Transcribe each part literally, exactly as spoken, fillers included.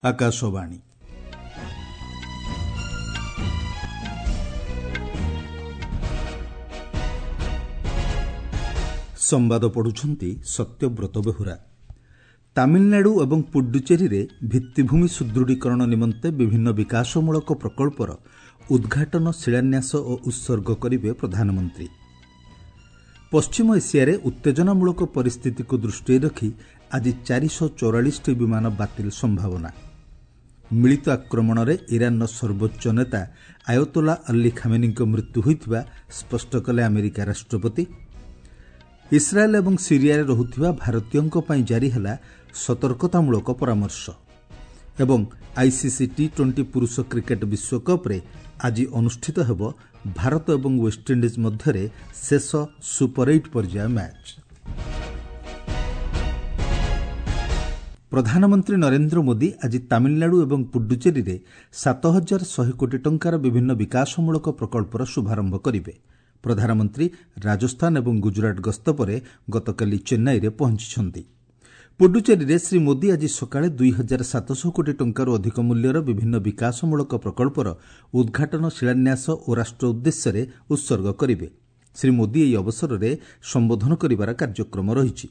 ଆକାଶବାଣୀ ସମ୍ବାଦ ପଢୁଛନ୍ତି ସତ୍ୟବ୍ରତ ବେହୁରା ତାମିଲନାଡୁ ଏବଂ ପୁଡୁଚେରୀରେ ଭିତ୍ତିଭୂମି ସୁଦୃଢ଼ୀକରଣ ନିମନ୍ତେ ବିଭିନ୍ନ ବିକାଶମୂଳକ ପ୍ରକଳ୍ପର ଉଦ୍ଘାଟନ ଶିଳାନ୍ୟାସ ଓ ଉତ୍ସର୍ଗ କରିବେ ପ୍ରଧାନମନ୍ତ୍ରୀ ପଶ୍ଚିମ ଏସିଆରେ ଉତ୍ତେଜନାମୂଳକ ପରିସ୍ଥିତିକୁ ଦୃଷ୍ଟିରେ ରଖି ଆଜି ଚାରିଶହ ଚଉରାଳିଶଟି ବିମାନ ବାତିଲ ସମ୍ଭାବନା ମିଳିତ ଆକ୍ରମଣରେ ଇରାନର ସର୍ବୋଚ୍ଚ ନେତା ଆୟତୋଲା ଅଲ୍ଲୀ ଖାମେନିଙ୍କ ମୃତ୍ୟୁ ହୋଇଥିବା ସ୍ପଷ୍ଟ କଲେ ଆମେରିକା ରାଷ୍ଟ୍ରପତି ଇସ୍ରାଏଲ୍ ଏବଂ ସିରିଆରେ ରହୁଥିବା ଭାରତୀୟଙ୍କ ପାଇଁ ଜାରି ହେଲା ସତର୍କତାମୂଳକ ପରାମର୍ଶ ଏବଂ ଆଇସିସି ଟି ଟ୍ୱେଣ୍ଟି ପୁରୁଷ କ୍ରିକେଟ୍ ବିଶ୍ୱକପ୍ରେ ଆଜି ଅନୁଷ୍ଠିତ ହେବ ଭାରତ ଏବଂ ୱେଷ୍ଟଇଣ୍ଡିଜ୍ ମଧ୍ୟରେ ଶେଷ ସୁପର ଏଇଟ୍ ପର୍ଯ୍ୟାୟ ମ୍ୟାଚ୍ ପ୍ରଧାନମନ୍ତ୍ରୀ ନରେନ୍ଦ୍ର ମୋଦି ଆଜି ତାମିଲନାଡୁ ଏବଂ ପୁଡୁଚେରୀରେ ସାତ ହଜାର ଶହେ କୋଟି ଟଙ୍କାର ବିଭିନ୍ନ ବିକାଶମୂଳକ ପ୍ରକଳ୍ପର ଶୁଭାରମ୍ଭ କରିବେ ପ୍ରଧାନମନ୍ତ୍ରୀ ରାଜସ୍ଥାନ ଏବଂ ଗୁଜରାଟ ଗସ୍ତ ପରେ ଗତକାଲି ଚେନ୍ନାଇରେ ପହଞ୍ଚିଛନ୍ତି ପୁଡୁଚେରୀରେ ଶ୍ରୀ ମୋଦି ଆଜି ସକାଳେ ଦୁଇ ହଜାର ସାତଶହ କୋଟି ଟଙ୍କାରୁ ଅଧିକ ମୂଲ୍ୟର ବିଭିନ୍ନ ବିକାଶମୂଳକ ପ୍ରକଳ୍ପର ଉଦ୍ଘାଟନ ଶିଳାନ୍ୟାସ ଓ ରାଷ୍ଟ୍ର ଉଦ୍ଦେଶ୍ୟରେ ଉତ୍ସର୍ଗ କରିବେ ଶ୍ରୀ ମୋଦି ଏହି ଅବସରରେ ସମ୍ବୋଧନ କରିବାର କାର୍ଯ୍ୟକ୍ରମ ରହିଛି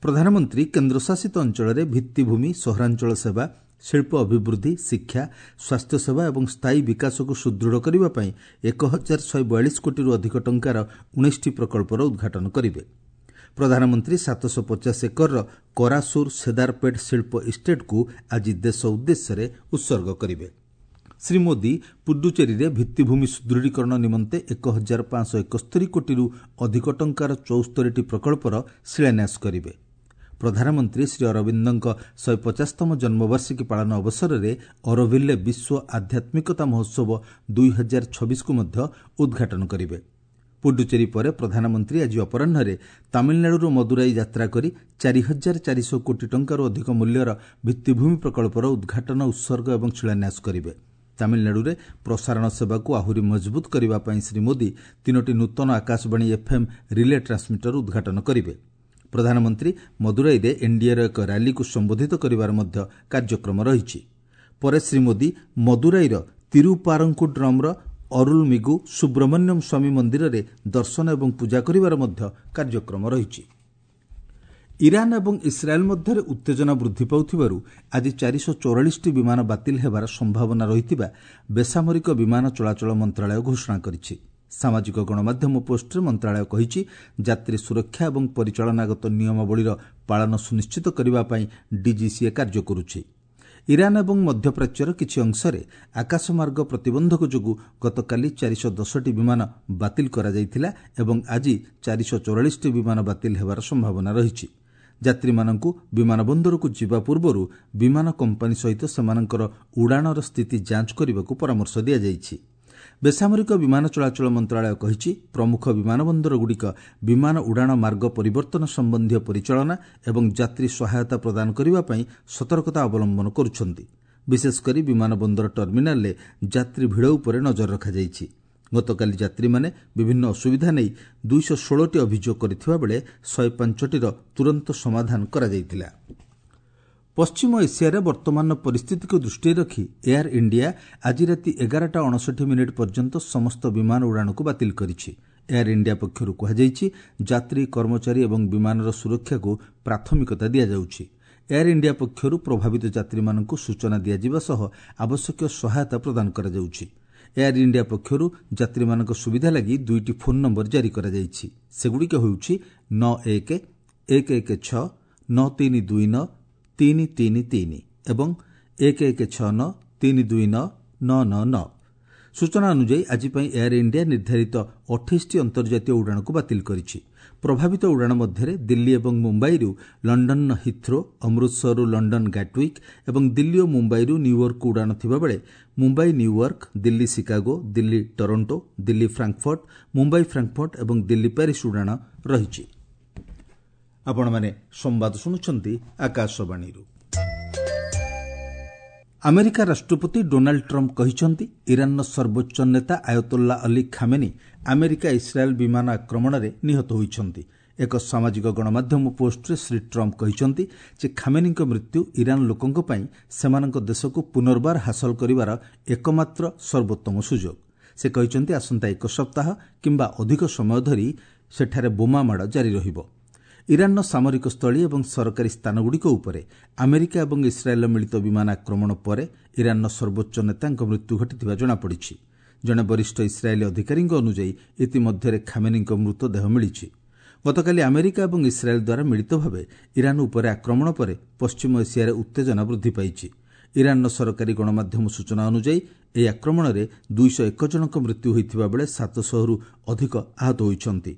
ପ୍ରଧାନମନ୍ତ୍ରୀ କେନ୍ଦ୍ରଶାସିତ ଅଞ୍ଚଳରେ ଭିତ୍ତିଭୂମି ସହରାଞ୍ଚଳ ସେବା ଶିଳ୍ପ ଅଭିବୃଦ୍ଧି ଶିକ୍ଷା ସ୍ୱାସ୍ଥ୍ୟସେବା ଏବଂ ସ୍ଥାୟୀ ବିକାଶକୁ ସୁଦୃଢ଼ କରିବା ପାଇଁ ଏକ ହଜାର ଶହେ ବୟାଳିଶ କୋଟିରୁ ଅଧିକ ଟଙ୍କାର ଉଣେଇଶଟି ପ୍ରକଳ୍ପର ଉଦ୍ଘାଟନ କରିବେ ପ୍ରଧାନମନ୍ତ୍ରୀ ସାତଶହ ପଚାଶ ଏକରର କରାସୁର ସେଦାରପେଟ୍ ଶିଳ୍ପ ଇଷ୍ଟେଟ୍କୁ ଆଜି ଦେଶ ଉଦ୍ଦେଶ୍ୟରେ ଉତ୍ସର୍ଗ କରିବେ ଶ୍ରୀ ମୋଦି ପୁଡୁଚେରୀରେ ଭିତ୍ତିଭୂମି ସୁଦୃଢ଼ୀକରଣ ନିମନ୍ତେ ଏକ ହଜାର ପାଞ୍ଚଶହ ଏକସ୍ତରୀ କୋଟିରୁ ଅଧିକ ଟଙ୍କାର ଚଉସ୍ତରୀଟି ପ୍ରକଳ୍ପର ଶିଳାନ୍ୟାସ କରିବେ ପ୍ରଧାନମନ୍ତ୍ରୀ ଶ୍ରୀ ଅରବିନ୍ଦଙ୍କ ଶହେ ପଚାଶତମ ଜନ୍ମବାର୍ଷିକୀ ପାଳନ ଅବସରରେ ଅରୋଭିଲ୍ରେ ବିଶ୍ୱ ଆଧ୍ୟାତ୍ମିକତା ମହୋତ୍ସବ ଦୁଇ ହଜାର ଛବିଶକୁ ମଧ୍ୟ ଉଦ୍ଘାଟନ କରିବେ ପୁଡୁଚେରୀ ପରେ ପ୍ରଧାନମନ୍ତ୍ରୀ ଆଜି ଅପରାହ୍ନରେ ତାମିଲନାଡୁର ମଦୁରାଇ ଯାତ୍ରା କରି ଚାରି ହଜାର ଚାରିଶହ କୋଟି ଟଙ୍କାରୁ ଅଧିକ ମୂଲ୍ୟର ଭିତ୍ତିଭୂମି ପ୍ରକଳ୍ପର ଉଦ୍ଘାଟନ ଉତ୍ସର୍ଗ ଏବଂ ଶିଳାନ୍ୟାସ କରିବେ ତାମିଲନାଡୁରେ ପ୍ରସାରଣ ସେବାକୁ ଆହୁରି ମଜବୁତ କରିବା ପାଇଁ ଶ୍ରୀ ମୋଦି ତିନୋଟି ନୂତନ ଆକାଶବାଣୀ ଏଫ୍ଏମ୍ ରିଲେ ଟ୍ରାନ୍ସମିଟର ଉଦ୍ଘାଟନ କରିବେ ପ୍ରଧାନମନ୍ତ୍ରୀ ମଦୁରାଇରେ ଏନ୍ଡିଏର ଏକ ର୍ୟାଲିକୁ ସମ୍ବୋଧିତ କରିବାର ମଧ୍ୟ କାର୍ଯ୍ୟକ୍ରମ ରହିଛି ପରେ ଶ୍ରୀ ମୋଦି ମଦୁରାଇର ତିରୁପାରଙ୍କୁଡ୍ରମ୍ର ଅରୁଲମିଗୁ ସୁବ୍ରମଣ୍ୟମ ସ୍ୱାମୀ ମନ୍ଦିରରେ ଦର୍ଶନ ଏବଂ ପୂଜା କରିବାର ମଧ୍ୟ କାର୍ଯ୍ୟକ୍ରମ ରହିଛି ଇରାନ୍ ଏବଂ ଇସ୍ରାଏଲ୍ ମଧ୍ୟରେ ଉତ୍ତେଜନା ବୃଦ୍ଧି ପାଉଥିବାରୁ ଆଜି ଚାରିଶହ ଚଉରାଳିଶଟି ବିମାନ ବାତିଲ ହେବାର ସମ୍ଭାବନା ରହିଥିବା ବେସାମରିକ ବିମାନ ଚଳାଚଳ ମନ୍ତ୍ରଣାଳୟ ଘୋଷଣା କରିଛି ସାମାଜିକ ଗଣମାଧ୍ୟମ ପୋଷ୍ଟରେ ମନ୍ତ୍ରଣାଳୟ କହିଛି ଯାତ୍ରୀ ସୁରକ୍ଷା ଏବଂ ପରିଚାଳନାଗତ ନିୟମାବଳୀର ପାଳନ ସୁନିଶ୍ଚିତ କରିବା ପାଇଁ ଡିଜିସିଏ କାର୍ଯ୍ୟ କରୁଛି ଇରାନ୍ ଏବଂ ମଧ୍ୟପ୍ରାଚ୍ୟର କିଛି ଅଂଶରେ ଆକାଶମାର୍ଗ ପ୍ରତିବନ୍ଧକ ଯୋଗୁଁ ଗତକାଲି ଚାରିଶହ ଦଶଟି ବିମାନ ବାତିଲ କରାଯାଇଥିଲା ଏବଂ ଆଜି ଚାରିଶହ ଚଉରାଳିଶଟି ବିମାନ ବାତିଲ ହେବାର ସମ୍ଭାବନା ରହିଛି ଯାତ୍ରୀମାନଙ୍କୁ ବିମାନ ବନ୍ଦରକୁ ଯିବା ପୂର୍ବରୁ ବିମାନ କମ୍ପାନୀ ସହିତ ସେମାନଙ୍କର ଉଡ଼ାଣର ସ୍ଥିତି ଯାଞ୍ଚ କରିବାକୁ ପରାମର୍ଶ ଦିଆଯାଇଛି ବେସାମରିକ ବିମାନ ଚଳାଚଳ ମନ୍ତ୍ରଣାଳୟ କହିଛି ପ୍ରମୁଖ ବିମାନ ବନ୍ଦରଗୁଡ଼ିକ ବିମାନ ଉଡ଼ାଣ ମାର୍ଗ ପରିବର୍ତ୍ତନ ସମ୍ବନ୍ଧୀୟ ପରିଚାଳନା ଏବଂ ଯାତ୍ରୀ ସହାୟତା ପ୍ରଦାନ କରିବା ପାଇଁ ସତର୍କତା ଅବଲମ୍ବନ କରୁଛନ୍ତି ବିଶେଷକରି ବିମାନ ବନ୍ଦର ଟର୍ମିନାଲରେ ଯାତ୍ରୀ ଭିଡ଼ ଉପରେ ନଜର ରଖାଯାଇଛି ଗତକାଲି ଯାତ୍ରୀମାନେ ବିଭିନ୍ନ ଅସୁବିଧା ନେଇ ଦୁଇଶହ ଷୋହଳଟି ଅଭିଯୋଗ କରିଥିବା ବେଳେ ଶହେ ପାଞ୍ଚଟିର ତୁରନ୍ତ ସମାଧାନ କରାଯାଇଥିଲା ପଶ୍ଚିମ ଏସିଆରେ ବର୍ତ୍ତମାନର ପରିସ୍ଥିତିକୁ ଦୃଷ୍ଟିରେ ରଖି ଏୟାର ଇଣ୍ଡିଆ ଆଜି ରାତି ଏଗାରଟା ଅଣଷଠି ମିନିଟ୍ ପର୍ଯ୍ୟନ୍ତ ସମସ୍ତ ବିମାନ ଉଡ଼ାଣକୁ ବାତିଲ କରିଛି ଏୟାର ଇଣ୍ଡିଆ ପକ୍ଷରୁ କୁହାଯାଇଛି ଯାତ୍ରୀ କର୍ମଚାରୀ ଏବଂ ବିମାନର ସୁରକ୍ଷାକୁ ପ୍ରାଥମିକତା ଦିଆଯାଉଛି ଏୟାର ଇଣ୍ଡିଆ ପକ୍ଷରୁ ପ୍ରଭାବିତ ଯାତ୍ରୀମାନଙ୍କୁ ସୂଚନା ଦିଆଯିବା ସହ ଆବଶ୍ୟକୀୟ ସହାୟତା ପ୍ରଦାନ କରାଯାଉଛି ଏୟାର ଇଣ୍ଡିଆ ପକ୍ଷରୁ ଯାତ୍ରୀମାନଙ୍କ ସୁବିଧା ଲାଗି ଦୁଇଟି ଫୋନ୍ ନମ୍ବର ଜାରି କରାଯାଇଛି ସେଗୁଡ଼ିକ ହେଉଛି ନଅ ଏକ ଏକ ଏକ ଛଅ ନଅ ତିନି ଦୁଇ ନଅ ତିନି ତିନି ତିନି ଏବଂ ଏକ ଏକ ଛଅ ନଅ ତିନି ଦୁଇ ନଅ ନଅ ନଅ ନଅ ସୂଚନା ଅନୁଯାୟୀ ଆଜି ପାଇଁ ଏୟାର ଇଣ୍ଡିଆ ନିର୍ଦ୍ଧାରିତ ଅଠେଇଶଟି ଅନ୍ତର୍ଜାତୀୟ ଉଡ଼ାଣକୁ ବାତିଲ କରିଛି ପ୍ରଭାବିତ ଉଡ଼ାଣ ମଧ୍ୟରେ ଦିଲ୍ଲୀ ଏବଂ ମୁମ୍ବାଇରୁ ଲଣ୍ଡନର ହିଥ୍ରୋ ଅମୃତସରରୁ ଲଣ୍ଡନ ଗାଟୱିକ୍ ଏବଂ ଦିଲ୍ଲୀ ଓ ମୁମ୍ବାଇରୁ ନ୍ୟୁୟର୍କକୁ ଉଡ଼ାଣ ଥିବାବେଳେ Mumbai New York Delhi Chicago Delhi Toronto Delhi Frankfurt Mumbai Frankfurt ଏବଂ ଦିଲ୍ଲୀ ପ୍ୟାରିସ୍ ଉଡ଼ାଣ ରହିଛି ଆପଣମାନେ ସମ୍ବାଦ ଶୁଣୁଛନ୍ତି ଆକାଶବାଣୀରୁ ଆମେରିକା ରାଷ୍ଟ୍ରପତି ଡୋନାଲ୍ଡ ଟ୍ରମ୍ପ କହିଛନ୍ତି ଇରାନର ସର୍ବୋଚ୍ଚ ନେତା Ayatollah Ali Khamenei America Israel ବିମାନ ଆକ୍ରମଣରେ ନିହତ ହୋଇଛନ୍ତି ଏକ ସାମାଜିକ ଗଣମାଧ୍ୟମ ପୋଷ୍ଟରେ ଶ୍ରୀ ଟ୍ରମ୍ପ କହିଛନ୍ତି ଯେ ଖାମେନିଙ୍କ ମୃତ୍ୟୁ ଇରାନ୍ ଲୋକଙ୍କ ପାଇଁ ସେମାନଙ୍କ ଦେଶକୁ ପୁନର୍ବାର ହାସଲ କରିବାର ଏକମାତ୍ର ସର୍ବୋତ୍ତମ ସୁଯୋଗ। ସେ କହିଛନ୍ତି, ଆସନ୍ତା ଏକ ସପ୍ତାହ କିମ୍ବା ଅଧିକ ସମୟ ଧରି ସେଠାରେ ବୋମାମାଡ଼ ଜାରି ରହିବ। ଇରାନ୍ର ସାମରିକ ସ୍ଥଳୀ ଏବଂ ସରକାରୀ ସ୍ଥାନଗୁଡ଼ିକ ଉପରେ ଆମେରିକା ଏବଂ ଇସ୍ରାଏଲ୍ର ମିଳିତ ବିମାନ ଆକ୍ରମଣ ପରେ ଇରାନ୍ର ସର୍ବୋଚ୍ଚ ନେତାଙ୍କ ମୃତ୍ୟୁ ଘଟିଥିବା ଜଣାପଡ଼ିଛି। ଜଣେ ବରିଷ୍ଠ ଇସ୍ରାଏଲୀ ଅଧିକାରୀଙ୍କ ଅନୁଯାୟୀ ଇତିମଧ୍ୟରେ ଖାମେନିଙ୍କ ମୃତଦେହ ମିଳିଛି। ଗତକାଲି ଆମେରିକା ଏବଂ ଇସ୍ରାଏଲ୍ ଦ୍ୱାରା ମିଳିତ ଭାବେ ଇରାନ୍ ଉପରେ ଆକ୍ରମଣ ପରେ ପଶ୍ଚିମ ଏସିଆରେ ଉତ୍ତେଜନା ବୃଦ୍ଧି ପାଇଛି। ଇରାନ୍ର ସରକାରୀ ଗଣମାଧ୍ୟମ ସୂଚନା ଅନୁଯାୟୀ ଏହି ଆକ୍ରମଣରେ ଦୁଇଶହ ଏକ ଜଣଙ୍କ ମୃତ୍ୟୁ ହୋଇଥିବା ବେଳେ ସାତଶହରୁ ଅଧିକ ଆହତ ହୋଇଛନ୍ତି।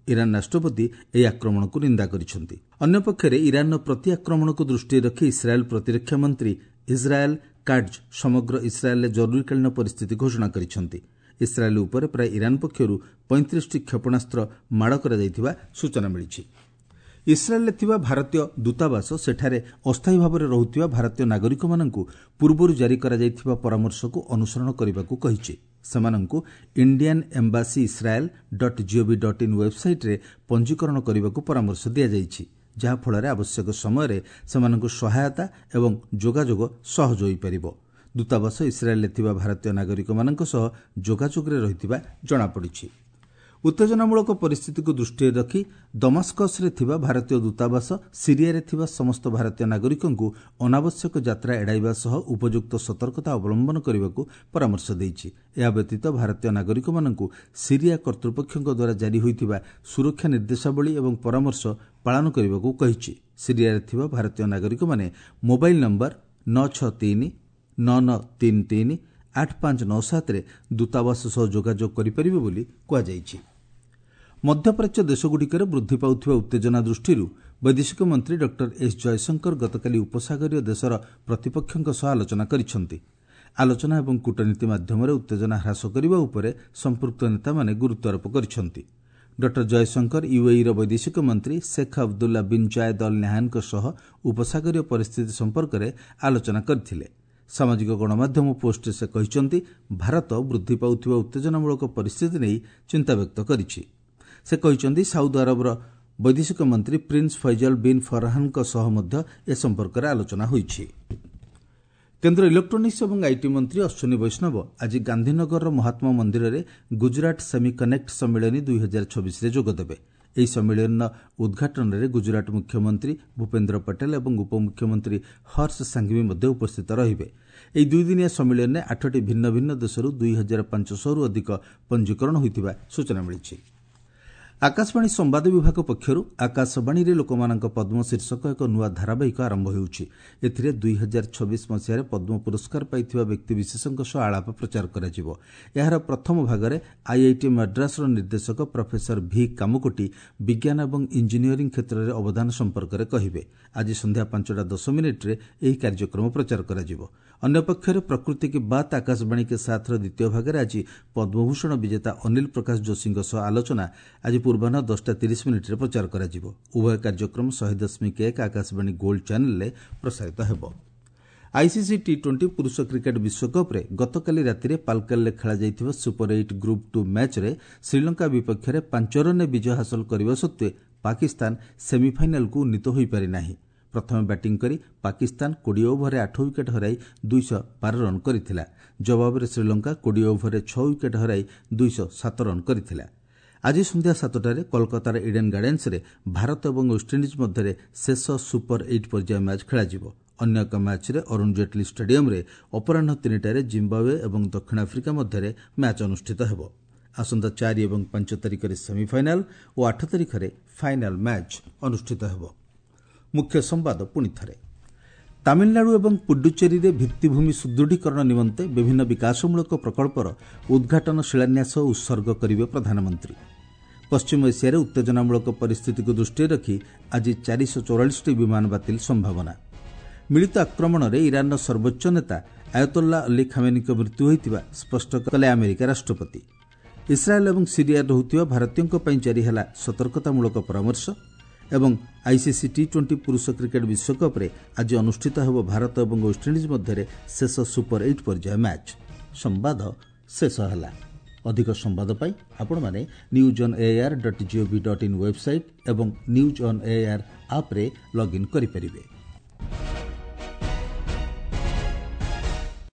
ଇରାନ୍ ରାଷ୍ଟ୍ରପତି ଏହି ଆକ୍ରମଣକୁ ନିନ୍ଦା କରିଛନ୍ତି। ଅନ୍ୟପକ୍ଷରେ ଇରାନ୍ର ପ୍ରତି ଆକ୍ରମଣକୁ ଦୃଷ୍ଟିରେ ରଖି ଇସ୍ରାଏଲ୍ ପ୍ରତିରକ୍ଷା ମନ୍ତ୍ରୀ ଇସ୍ରାଏଲ୍ କାଟ୍ଜ ସମଗ୍ର ଇସ୍ରାଏଲ୍ରେ ଜରୁରୀକାଳୀନ ପରିସ୍ଥିତି ଘୋଷଣା କରିଛନ୍ତି। ଇସ୍ରାଏଲ୍ ଉପରେ ପ୍ରାୟ ଇରାନ୍ ପକ୍ଷରୁ ପଇଁତିରିଶଟି କ୍ଷେପଣାସ୍ତ୍ର ମାଡ଼ କରାଯାଇଥିବା ସୂଚନା ମିଳିଛି। ଇସ୍ରାଏଲ୍ରେ ଥିବା ଭାରତୀୟ ଦୂତାବାସ ସେଠାରେ ଅସ୍ଥାୟୀ ଭାବରେ ରହୁଥିବା ଭାରତୀୟ ନାଗରିକମାନଙ୍କୁ ପୂର୍ବରୁ ଜାରି କରାଯାଇଥିବା ପରାମର୍ଶକୁ ଅନୁସରଣ କରିବାକୁ କହିଛି। ସେମାନଙ୍କୁ Indian embassy Israel dot gov dot in ୱେବ୍ସାଇଟ୍ରେ ପଞ୍ଜୀକରଣ କରିବାକୁ ପରାମର୍ଶ ଦିଆଯାଇଛି, ଯାହାଫଳରେ ଆବଶ୍ୟକ ସମୟରେ ସେମାନଙ୍କୁ ସହାୟତା ଏବଂ ଯୋଗାଯୋଗ ସହଜ ହୋଇପାରିବ। ଦୂତାବାସ ଇସ୍ରାଏଲ୍ରେ ଥିବା ଭାରତୀୟ ନାଗରିକମାନଙ୍କ ସହ ଯୋଗାଯୋଗରେ ରହିଥିବା ଜଣାପଡ଼ିଛି। ଉତ୍ତେଜନାମୂଳକ ପରିସ୍ଥିତିକୁ ଦୃଷ୍ଟିରେ ରଖି ଦମାସ୍କସ୍ରେ ଥିବା ଭାରତୀୟ ଦୂତାବାସ ସିରିଆରେ ଥିବା ସମସ୍ତ ଭାରତୀୟ ନାଗରିକଙ୍କୁ ଅନାବଶ୍ୟକ ଯାତ୍ରା ଏଡ଼ାଇବା ସହ ଉପଯୁକ୍ତ ସତର୍କତା ଅବଲମ୍ବନ କରିବାକୁ ପରାମର୍ଶ ଦେଇଛି। ଏହା ବ୍ୟତୀତ ଭାରତୀୟ ନାଗରିକମାନଙ୍କୁ ସିରିଆ କର୍ତ୍ତୃପକ୍ଷଙ୍କ ଦ୍ୱାରା ଜାରି ହୋଇଥିବା ସୁରକ୍ଷା ନିର୍ଦ୍ଦେଶାବଳୀ ଏବଂ ପରାମର୍ଶ ପାଳନ କରିବାକୁ କହିଛି। ସିରିଆରେ ଥିବା ଭାରତୀୟ ନାଗରିକମାନେ ମୋବାଇଲ୍ ନମ୍ବର ନଅ ଛଅ ତିନି ନଅ ନଅ ତିନି ତିନି ଆଠ ପାଞ୍ଚ ନଅ ସାତରେ ଦୂତାବାସ ସହ ଯୋଗାଯୋଗ କରିପାରିବେ ବୋଲି କୁହାଯାଇଛି। ମଧ୍ୟପ୍ରାଚ୍ୟ ଦେଶଗୁଡ଼ିକରେ ବୃଦ୍ଧି ପାଉଥିବା ଉତ୍ତେଜନା ଦୃଷ୍ଟିରୁ ବୈଦେଶିକ ମନ୍ତ୍ରୀ ଡକ୍ଟର ଏସ୍ ଜୟଶଙ୍କର ଗତକାଲି ଉପସାଗରୀୟ ଦେଶର ପ୍ରତିପକ୍ଷଙ୍କ ସହ ଆଲୋଚନା କରିଛନ୍ତି। ଆଲୋଚନା ଏବଂ କୂଟନୀତି ମାଧ୍ୟମରେ ଉତ୍ତେଜନା ହ୍ରାସ କରିବା ଉପରେ ସମ୍ପୃକ୍ତ ନେତାମାନେ ଗୁରୁତ୍ୱାରୋପ କରିଛନ୍ତି। ଡକ୍ଟର ଜୟଶଙ୍କର ୟୁଏଇର ବୈଦେଶିକ ମନ୍ତ୍ରୀ Sheikh Abdullah bin Zayed Al ନାହ୍ୟାନ୍ଙ୍କ ସହ ଉପସାଗରୀୟ ପରିସ୍ଥିତି ସମ୍ପର୍କରେ ଆଲୋଚନା କରିଥିଲେ। ସାମାଜିକ ଗଣମାଧ୍ୟମ ପୋଷ୍ଟରେ ସେ କହିଛନ୍ତି, ଭାରତ ବୃଦ୍ଧି ପାଉଥିବା ଉତ୍ତେଜନାମୂଳକ ପରିସ୍ଥିତି ନେଇ ଚିନ୍ତା ବ୍ୟକ୍ତ କରିଛି। ସେ କହିଛନ୍ତି, ସାଉଦି ଆରବର ବୈଦେଶିକ ମନ୍ତ୍ରୀ ପ୍ରିନ୍ସ ଫୈଜଲ ବିନ୍ ଫରହାନଙ୍କ ସହ ମଧ୍ୟ ଏ ସମ୍ପର୍କରେ ଆଲୋଚନା ହୋଇଛି। କେନ୍ଦ୍ର ଇଲେକ୍ଟ୍ରୋନିକ୍ସ ଏବଂ IT ମନ୍ତ୍ରୀ ଅଶ୍ୱିନୀ ବୈଷ୍ଣବ ଆଜି ଗାନ୍ଧୀନଗରର ମହାତ୍ମା ମନ୍ଦିରରେ ଗୁଜରାଟ ସେମି କନେକ୍ଟ ସମ୍ମିଳନୀ ଦୁଇ ହଜାର ଛବିଶରେ ଯୋଗଦେବେ। ଏହି ସମ୍ମିଳନୀର ଉଦ୍ଘାଟନରେ ଗୁଜରାଟ ମୁଖ୍ୟମନ୍ତ୍ରୀ ଭୂପେନ୍ଦ୍ର ପଟେଲ ଏବଂ ଉପମୁଖ୍ୟମନ୍ତ୍ରୀ ହର୍ଷ ସାଙ୍ଘଭି ମଧ୍ୟ ଉପସ୍ଥିତ ରହିବେ। ଏହି ଦୁଇଦିନିଆ ସମ୍ମିଳନୀରେ ଆଠଟି ଭିନ୍ନ ଭିନ୍ନ ଦେଶରୁ ଦୁଇ ହଜାର ପାଞ୍ଚଶହରୁ ଅଧିକ ପଞ୍ଜୀକରଣ ହୋଇଥିବା ସୂଚନା ମିଳିଛି। ଆକାଶବାଣୀ ସମ୍ବାଦ ବିଭାଗ ପକ୍ଷରୁ ଆକାଶବାଣୀରେ ଲୋକମାନଙ୍କ ପଦ୍ମ ଶୀର୍ଷକ ଏକ ନୂଆ ଧାରାବାହିକ ଆରମ୍ଭ ହେଉଛି। ଏଥିରେ ଦୁଇ ହଜାର ଛବିଶ ମସିହାରେ ପଦ୍ମ ପୁରସ୍କାର ପାଇଥିବା ବ୍ୟକ୍ତିବିଶେଷଙ୍କ ସହ ଆଳାପ ପ୍ରଚାର କରାଯିବ। ଏହାର ପ୍ରଥମ ଭାଗରେ ଆଇଆଇଟି ମାଡ୍ରାସର ନିର୍ଦ୍ଦେଶକ ପ୍ରଫେସର ଭି କାମକୋଟି ବିଜ୍ଞାନ ଏବଂ ଇଞ୍ଜିନିୟରିଂ କ୍ଷେତ୍ରରେ ଅବଦାନ ସମ୍ପର୍କରେ କହିବେ। ଆଜି ସନ୍ଧ୍ୟା ପାଞ୍ଚଟା ଦଶ ମିନିଟ୍ରେ ଏହି କାର୍ଯ୍ୟକ୍ରମ ପ୍ରଚାର କରାଯିବ। ଅନ୍ୟପକ୍ଷରେ ପ୍ରକୃତି କି ବାତ୍ ଆକାଶବାଣୀ କେ ସାଥ୍ର ଦ୍ୱିତୀୟ ଭାଗରେ ଆଜି ପଦ୍ମଭୂଷଣ ବିଜେତା ଅନିଲ ପ୍ରକାଶ ଯୋଶୀଙ୍କ ସହ ଆଲୋଚନା ଆଜି ପୂର୍ବାହ୍ନ ଦଶଟା ତିରିଶ ମିନିଟ୍ରେ ପ୍ରଚାର କରାଯିବ। ଉଭୟ କାର୍ଯ୍ୟକ୍ରମ ଶହେ ଦଶମିକ ଏକ ଆକାଶବାଣୀ ଗୋଲ୍ଡ ଚ୍ୟାନେଲ୍ରେ ପ୍ରସାରିତ ହେବ। ଆଇସିସି ଟି ଟ୍ୱେଣ୍ଟି ପୁରୁଷ କ୍ରିକେଟ୍ ବିଶ୍ୱକପ୍ରେ ଗତକାଲି ରାତିରେ ପାଲକେଲରେ ଖେଳାଯାଇଥିବା ସୁପର ଏଇଟ୍ ଗ୍ରୁପ୍ ଟୁ ମ୍ୟାଚ୍ରେ ଶ୍ରୀଲଙ୍କା ବିପକ୍ଷରେ ପାଞ୍ଚ ରନ୍ରେ ବିଜୟ ହାସଲ କରିବା ସତ୍ତ୍ୱେ ପାକିସ୍ତାନ ସେମିଫାଇନାଲ୍କୁ ଉନ୍ନୀତ ହୋଇପାରିନାହିଁ। ପ୍ରଥମେ ବ୍ୟାଟିଂ କରି ପାକିସ୍ତାନ କୋଡ଼ିଏ ଓଭରରେ ଆଠ ୱିକେଟ୍ ହରାଇ ଦୁଇଶହ ବାର ରନ୍ କରିଥିଲା। ଜବାବରେ ଶ୍ରୀଲଙ୍କା କୋଡ଼ିଏ ଓଭରରେ ଛଅ ୱିକେଟ୍ ହରାଇ ଦୁଇଶହ ସାତ ରନ୍ କରିଥିଲା। ଆଜି ସନ୍ଧ୍ୟା ସାତଟାରେ କୋଲକାତାର ଇଡେନ୍ ଗାର୍ଡେନ୍ସରେ ଭାରତ ଏବଂ ୱେଷ୍ଟଇଣ୍ଡିଜ୍ ମଧ୍ୟରେ ଶେଷ ସୁପର ଏଇଟ୍ ପର୍ଯ୍ୟାୟ ମ୍ୟାଚ୍ ଖେଳାଯିବ। ଅନ୍ୟ ଏକ ମ୍ୟାଚ୍ରେ ଅରୁଣ ଜେଟ୍ଲୀ ଷ୍ଟାଡିୟମ୍ରେ ଅପରାହ୍ନ ତିନିଟାରେ ଜିମ୍ବାୱେ ଏବଂ ଦକ୍ଷିଣ ଆଫ୍ରିକା ମଧ୍ୟରେ ମ୍ୟାଚ୍ ଅନୁଷ୍ଠିତ ହେବ। ଆସନ୍ତା ଚାରି ଏବଂ ପାଞ୍ଚ ତାରିଖରେ ସେମିଫାଇନାଲ୍ ଓ ଆଠ ତାରିଖରେ ଫାଇନାଲ୍ ମ୍ୟାଚ୍ ଅନୁଷ୍ଠିତ ହେବ। ମୁଖ୍ୟ ସମ୍ବାଦ ପୁଣି ଥରେ। ତାମିଲନାଡୁ ଏବଂ ପୁଡୁଚେରୀରେ ଭିତ୍ତିଭୂମି ସୁଦୃଢ଼ୀକରଣ ନିମନ୍ତେ ବିଭିନ୍ନ ବିକାଶମୂଳକ ପ୍ରକଳ୍ପର ଉଦ୍ଘାଟନ, ଶିଳାନ୍ୟାସ ଓ ଉତ୍ସର୍ଗ କରିବେ ପ୍ରଧାନମନ୍ତ୍ରୀ। ପଶ୍ଚିମ ଏସିଆରେ ଉତ୍ତେଜନାମୂଳକ ପରିସ୍ଥିତିକୁ ଦୃଷ୍ଟିରେ ରଖି ଆଜି ଚାରିଶହ ଚଉରାଳିଶଟି ବିମାନ ବାତିଲ ସମ୍ଭାବନା। ମିଳିତ ଆକ୍ରମଣରେ ଇରାନର ସର୍ବୋଚ୍ଚ ନେତା ଆୟତୋଲ୍ଲା ଅଲି ଖାମେନିଙ୍କ ମୃତ୍ୟୁ ହୋଇଥିବା ସ୍ପଷ୍ଟ କଲେ ଆମେରିକା ରାଷ୍ଟ୍ରପତି। ଇସ୍ରାଏଲ୍ ଏବଂ ସିରିଆରେ ରହୁଥିବା ଭାରତୀୟଙ୍କ ପାଇଁ ଜାରି ହେଲା ସତର୍କତାମୂଳକ ପରାମର୍ଶ। ଏବଂ ଆଇସିସି ଟି ଟ୍ୱେଣ୍ଟି ପୁରୁଷ କ୍ରିକେଟ୍ ବିଶ୍ୱକପ୍ରେ ଆଜି ଅନୁଷ୍ଠିତ ହେବ ଭାରତ ଏବଂ ୱେଷ୍ଟଇଣ୍ଡିଜ୍ ମଧ୍ୟରେ ଶେଷ ସୁପର ଏଇଟ୍ ପର୍ଯ୍ୟାୟ ମ୍ୟାଚ୍। ସମ୍ବାଦ ଶେଷ ହେଲା। ଅଧିକ ସମ୍ବାଦ ପାଇଁ ଆପଣମାନେ news on AIR dot gov dot in website ଏବଂ ନ୍ୟୁଜ୍ ଅନ୍ ଏଆଇଆର୍ ଆପ୍ରେ ଲଗ୍ଇନ୍ କରିପାରିବେ।